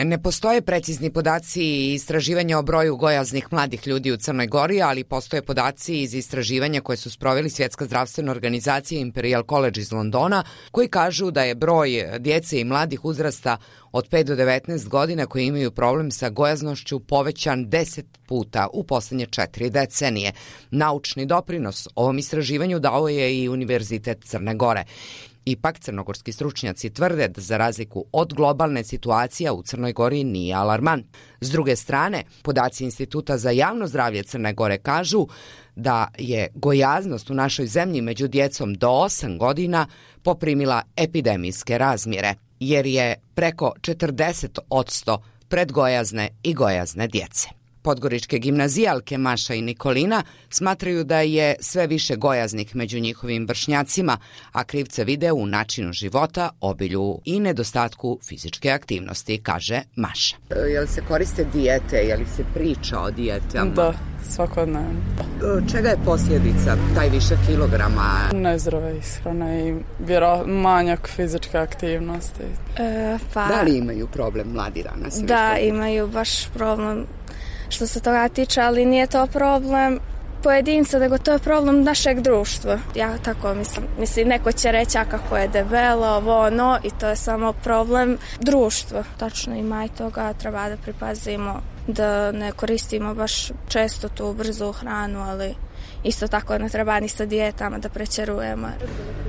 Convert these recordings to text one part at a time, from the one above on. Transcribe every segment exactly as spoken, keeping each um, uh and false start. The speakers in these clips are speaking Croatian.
Ne postoje precizni podaci i istraživanja o broju gojaznih mladih ljudi u Crnoj Gori, ali postoje podaci iz istraživanja koje su sproveli Svjetska zdravstvena organizacija i Imperial College iz Londona, koji kažu da je broj djece i mladih uzrasta od pet do devetnaest godina koji imaju problem sa gojaznošću povećan deset puta u posljednje četiri decenije. Naučni doprinos ovom istraživanju dao je i Univerzitet Crne Gore. Ipak, crnogorski stručnjaci tvrde da za razliku od globalne situacije u Crnoj Gori nije alarmant. S druge strane, podaci Instituta za javno zdravlje Crne Gore kažu da je gojaznost u našoj zemlji među djecom do osam godina poprimila epidemijske razmjere, jer je preko četrdeset posto predgojazne i gojazne djece. Podgoričke gimnazijalke Maša i Nikolina smatraju da je sve više gojaznih među njihovim vršnjacima, a krivce vide u načinu života, obilju i nedostatku fizičke aktivnosti, kaže Maša. Jel se koriste dijete, jel se priča o dijetama? Da, svakodnevno. Čega je posljedica taj više kilograma? Nezdrave ishrane i vjero, manjak fizičke aktivnosti. E, pa, da li imaju problem mladi danas? Da, imaju baš problem što se toga tiče, ali nije to problem pojedinca, nego to je problem našeg društva. Ja tako mislim. Mislim, neko će reći kako je debelo, ovo, ono, i to je samo problem društva. Tačno ima i toga, treba da pripazimo da ne koristimo baš često tu brzu hranu, ali isto tako ne treba ni sa dijetama da prećerujemo.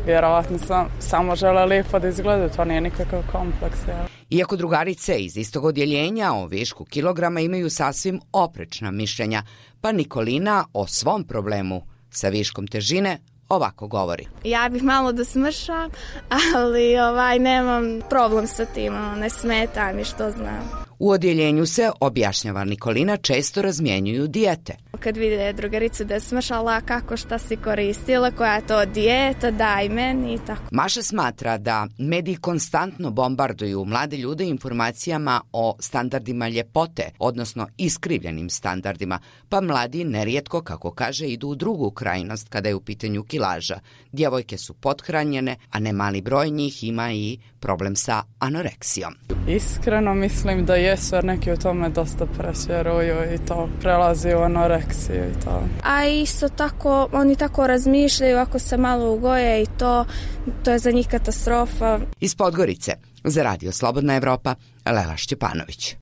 Vjerovatno sam samo žele lijepo da izgleda, to nije nikakav kompleks. Ja. Iako drugarice iz istog odjeljenja o višku kilograma imaju sasvim oprečna mišljenja, pa Nikolina o svom problemu sa viškom težine ovako govori. Ja bih malo da smršam, ali ovaj, nemam problem sa tim, ne smeta mi što znam. U odjeljenju se, objašnjava Nikolina, često razmjenjuju dijete. Kad vide drugaricu da je smršala, kako šta si koristila, koja je to dijeta, daj meni i tako. Maša smatra da mediji konstantno bombarduju mlade ljude informacijama o standardima ljepote, odnosno iskrivljenim standardima, pa mladi nerijetko, kako kaže, idu u drugu krajnost kada je u pitanju kilaža. Djevojke su pothranjene, a ne mali broj njih ima i problem sa anoreksijom. Iskreno mislim da jesu, jer neki u tome dosta presjeruju i to prelazi u anoreksiju i to. A isto tako, oni tako razmišljaju, ako se malo ugoje i to, to je za njih katastrofa. Iz Podgorice, za Radio Slobodna Evropa, Lela Šćepanović.